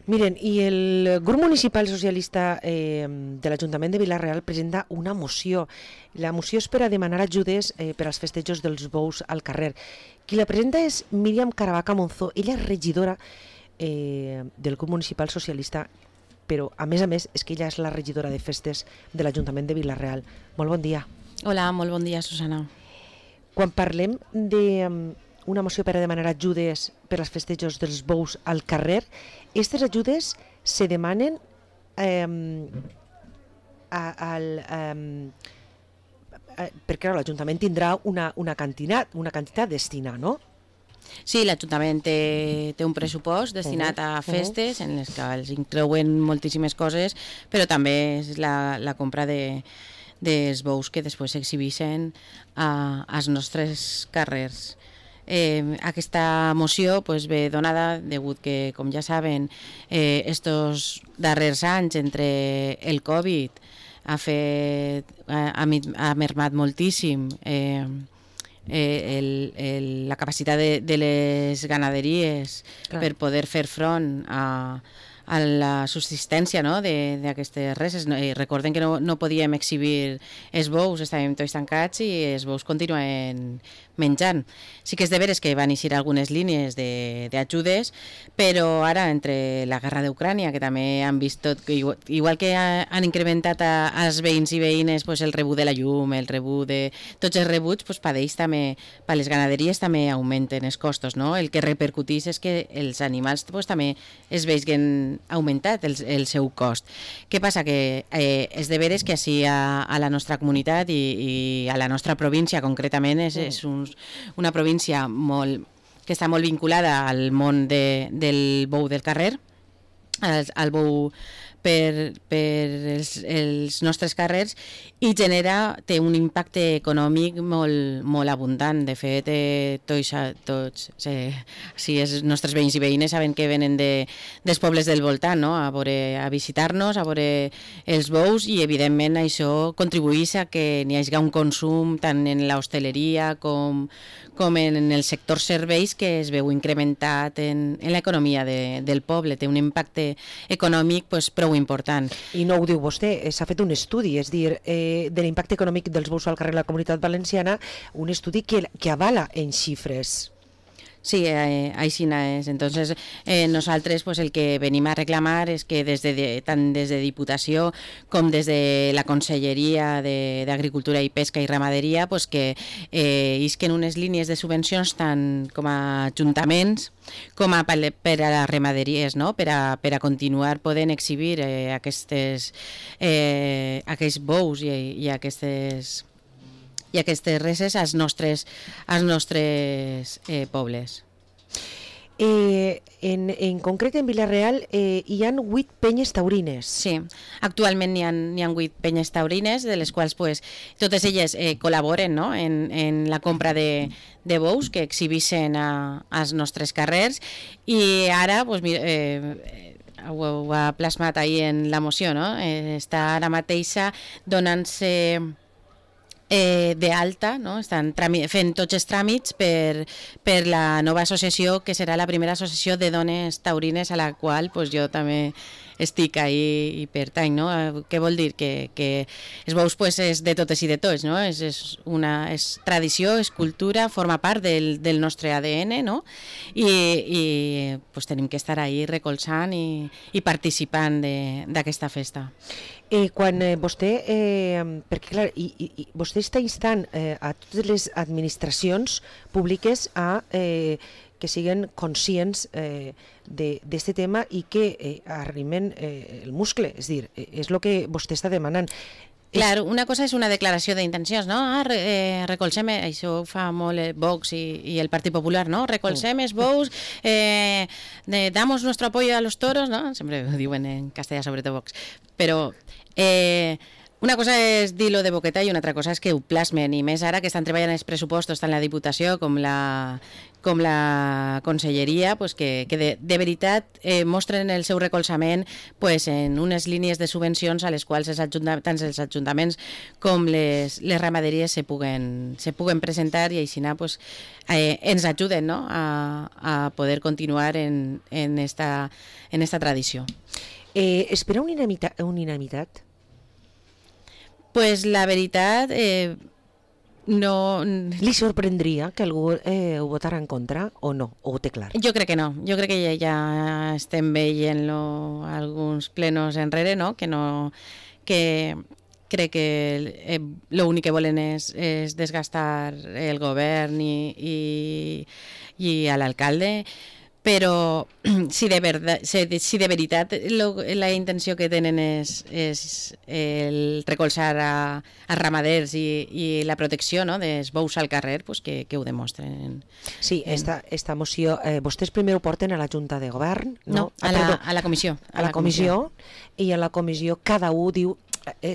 Miren, i el grup municipal socialista de l'Ajuntament de Vila-real presenta una moció. La moció és per a demanar ajudes per als festejos dels bous al carrer. Qui la presenta és Míriam Caravaca Monzó. Ella és regidora del grup municipal socialista, però a més, és que ella és la regidora de festes de l'Ajuntament de Vila-real. Molt bon dia. Hola, molt bon dia, Susana. Quan parlem de una moció per a demanar ajudes per als festejos dels bous al carrer, aquestes ajudes se demanen perquè l'Ajuntament tindrà una quantitat destinada, no? Sí, l'Ajuntament té un pressupost destinat a festes en les que els inclouen moltíssimes coses, però també és la compra dels bous que després s'exhibeixen als nostres carrers. Aquesta moció ve donada degut que, com ja saben, estos darrers anys entre el Covid ha mermat moltíssim la capacitat de les ganaderies per poder fer front a la subsistència d'aquestes reses. Recorden que no podíem exhibir els bous, estàvem tots tancats i els bous continuen menjant. Sí que és de veres que van eixir algunes línies d'ajudes, però ara entre la guerra d'Ucrània, que també han vist tot, igual que han incrementat als veïns i veïnes el rebut de la llum, el rebut de tots els rebuts, per ells també, per les ganaderies també augmenten els costos, no? El que repercuteix és que els animals també es vegin augmentat el seu cost. Què passa? Que és de veres que així a la nostra comunitat i a la nostra província concretament és una província que està molt vinculada al món del bou del carrer, al bou per els nostres carrers, i té un impacte econòmic molt abundant. De fet, tots els nostres veïns i veïnes saben que venen dels pobles del voltant, no? a visitar-nos, a veure els bous, i evidentment això contribueix a que n'hi hagi un consum tant en l'hostaleria com en el sector serveis, que es veu incrementat en l'economia del poble. Té un impacte econòmic prou important. I no ho diu vostè, s'ha fet un estudi, és dir, de l'impacte econòmic dels bous al carrer de la Comunitat Valenciana, un estudi que avala en xifres. Sí, així és. Entonces, nosaltres el que venim a reclamar és que tant des de Diputació com des de la Conselleria d'Agricultura i Pesca i Ramaderia que isquen unes línies de subvencions tant com a ajuntaments com per a les ramaderies, no? per a continuar podent exhibir aquests bous i aquestes reses als nostres pobles. En concret, en Vila-real hi ha 8 penyes taurines. Sí, actualment n'hi ha 8 penyes taurines, de les quals totes elles col·laboren, no? en la compra de bous que exhibeixen als nostres carrers, i ara ho ha plasmat ahir en la moció, no? Està ara mateixa donant-se d'alta, no? Estan fent tots els tràmits per la nova associació, que serà la primera associació de dones taurines a la qual jo també estic ahí i pertany, no? Què vol dir? Que els bous és de totes i de tots, no? És tradició, és cultura, forma part del nostre ADN, no? I tenim que estar ahí recolzant i participant d'aquesta festa. Quan vostè, perquè clar, vostè està instant a totes les administracions públiques a que siguin conscients d'aquest tema i que arrimen el muscle, és dir, és el que vostè està demanant. Clar, una cosa és una declaració d'intencions, no? Recolzem, això ho fa molt Vox i el Partit Popular, no? Recolzem els bous, damos nuestro apoyo a los toros, no? Sempre ho diuen en castellà, sobretot Vox. Però Una cosa és dir-lo de boqueta i una altra cosa és que ho plasmen, i més ara que estan treballant els pressupostos tant la Diputació com la Conselleria, pues que de veritat mostren el seu recolzament pues, en unes línies de subvencions a les quals tant els ajuntaments com les ramaderies se puguen presentar, i així pues, ens ajuden, no? a poder continuar en esta tradició. Espera unanimitat? Pues la veritat, no... Li sorprendria que algú ho votara en contra o no? O ho té clar? Jo crec que no. Jo crec que ja estem veient-lo alguns plenos enrere, no? Que crec que l'únic que volen és desgastar el govern i a l'alcalde, però si de veritat la intenció que tenen és el recolzar a ramaders i la protecció, no, dels bous al carrer, pues que ho demostren. Sí, esta moció, vostès primer ho porten a la Junta de Govern, no? A la comissió. A la comissió, i a la comissió cada un diu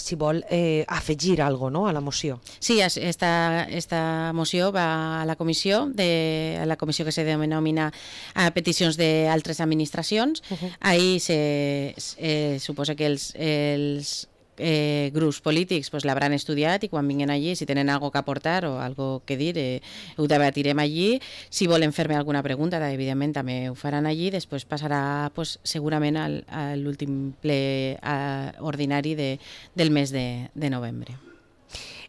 si vol afegir alguna cosa, no?, a la moció. Sí, esta moció va a la comissió que se denomina a peticions d'altres administracions. Ahí se suposa que els grups polítics pues, l'hauran estudiat, i quan vinguin allí, si tenen algo que aportar o algo que dir, ho debatirem allí. Si volen fer-me alguna pregunta, evidentment també ho faran allí. Després passarà pues, segurament a l'últim ple ordinari del mes de novembre.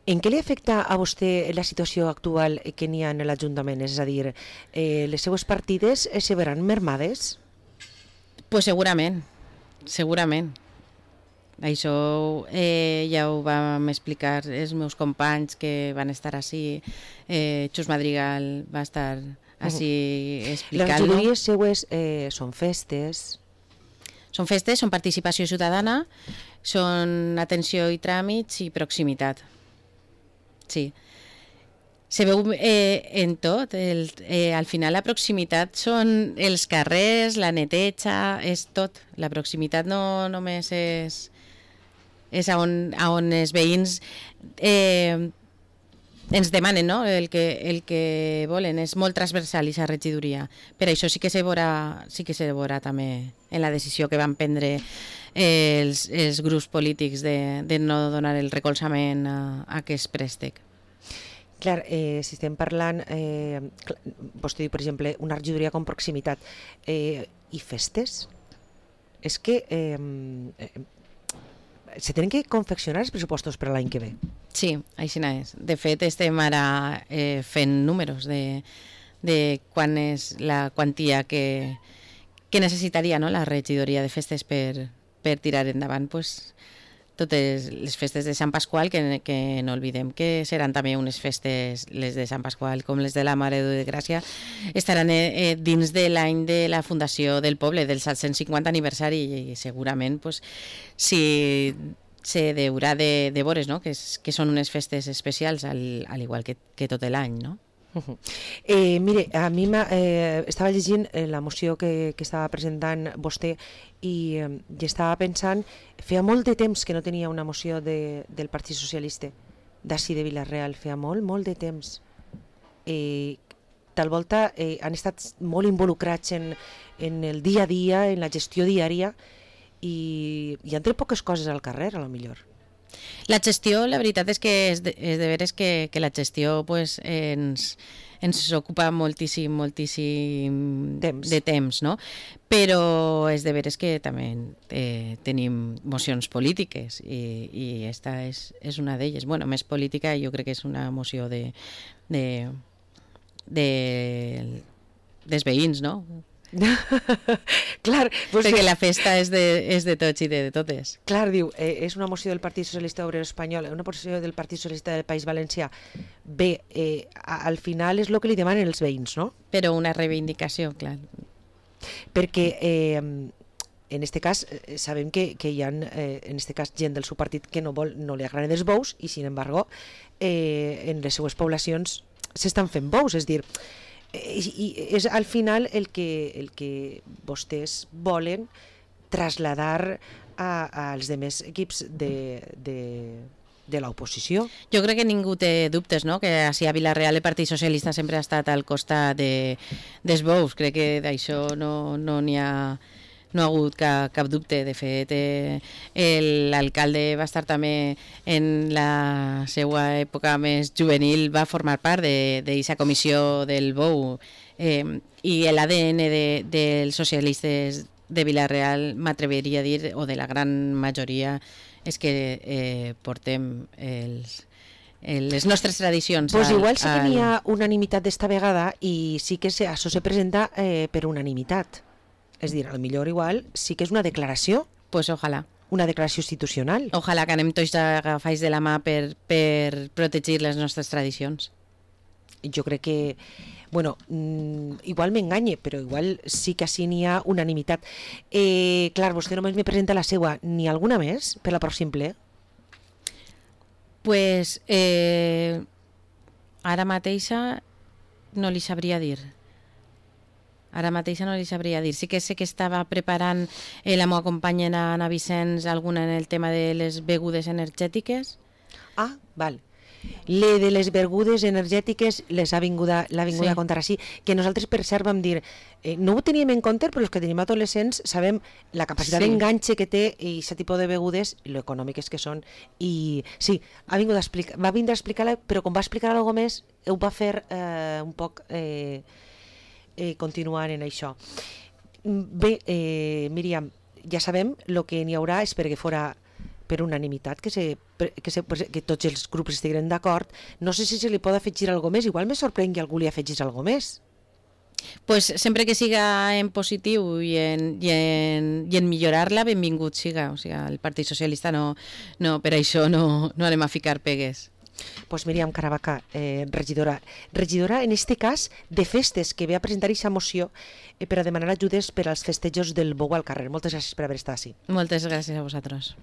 En què li afecta a vostè la situació actual que n'hi ha en l'Ajuntament? És a dir, les seues partides se veran mermades? Pues segurament. Això ja ho vam explicar els meus companys que van estar així. Xus Madrigal va estar així explicant-lo. Les regidories seues són festes? Són festes, són participació ciutadana, són atenció i tràmits i proximitat. Sí. Se veu en tot. Al final la proximitat són els carrers, la neteja, és tot. La proximitat no només és on els veïns ens demanen, no? El que volen. És molt transversal aquesta regidoria. Per això sí que se veurà també en la decisió que van prendre els grups polítics de no donar el recolzament a aquest préstec. Clar, si estem parlant, vostè diu, per exemple, una regidoria com proximitat i festes, és que se tenen que confeccionar els pressupostos per a l'any que ve. Sí, així és. De fet, estem ara fent números de quan és la quantia que necessitaria, no, la regidoria de festes per tirar endavant pues, totes les festes de Sant Pasqual, que no oblidem que seran també unes festes, les de Sant Pasqual com les de la Mare de Gràcia, estaran dins de l'any de la fundació del poble, del 750 aniversari, i segurament pues, si se deurà de veure, no? que són unes festes especials, al igual que tot l'any, no? Mire, a mi estava llegint la moció que estava presentant vostè i estava pensant, feia molt de temps que no tenia una moció del Partit Socialista d'ací de Vila-real, feia molt de temps. Tal volta han estat molt involucrats en el dia a dia, en la gestió diària, i han tret poques coses al carrer, a lo millor. La gestió, la veritat és que és de veres que la gestió pues, ens ocupa moltíssim de temps, no? Però és de veres que també tenim mocions polítiques i esta és una d'elles. Bueno, més política, jo crec que és una moció dels veïns, no? Clar, perquè la festa és de tots i de totes. Clar, diu, és una moció del Partit Socialista Obrer Espanyol, una moció del Partit Socialista del País Valencià. Bé, al final és el que li demanen els veïns, no? Però una reivindicació, clar. Perquè en este cas sabem que hi ha en este cas gent del seu partit que no li agraden els bous i, sin embargo, en les seues poblacions s'estan fent bous, és dir, i és al final el que vostès volen traslladar als demés equips de l'oposició. Jo crec que ningú té dubtes, no? Que així a Vila-real el Partit Socialista sempre ha estat al costat dels bous. Crec que d'això no n'hi ha hagut cap dubte. De fet, l'alcalde va estar també en la seva època més juvenil, va formar part d'aquesta comissió del bou, i l'ADN dels socialistes de Vila-real, m'atreviria a dir, o de la gran majoria, és que portem les nostres tradicions. Pues igual sí que n'hi ha unanimitat d'esta vegada i sí que això se presenta per unanimitat. És dir, potser igual sí que és una declaració. Pues ojalà. Una declaració institucional. Ojalà que anem tots agafats de la mà per protegir les nostres tradicions. Jo crec que, bueno, igual m'enganye, però igual sí que així n'hi ha unanimitat. Clar, vostè només me presenta la seua, n'hi ha alguna més per la pròxim ple? Pues ara mateixa no li sabria dir. Sí que sé que estava preparant la meva companya Anna Vicenç alguna en el tema de les begudes energètiques. Ah, val. Le de les begudes energètiques l'ha vingut a contar així, que nosaltres per cert vam dir, no ho teníem en compte, però els que tenim adolescents sabem la capacitat d'enganxe que té aquest tipus de begudes, lo econòmiques que són, i sí, va vindre a explicar-la, però com va explicar alguna cosa més, ho va fer un poc continuant en això. Bé, Míriam, ja sabem, el que n'hi haurà és perquè fora per unanimitat, que tots els grups estiguin d'acord. No sé si se li pot afegir alguna més, igual me sorprèn que algú li afegís alguna més. Pues sempre que siga en positiu i en millorar-la, benvingut siga. O sigui, el Partit Socialista per això no anem a ficar pegues. Pues Míriam Caravaca, regidora en este cas de festes, que ve a presentar aquesta moció per a demanar ajudes per als festejos del bou al carrer. Moltes gràcies per haver estat així. Moltes gràcies a vosaltres.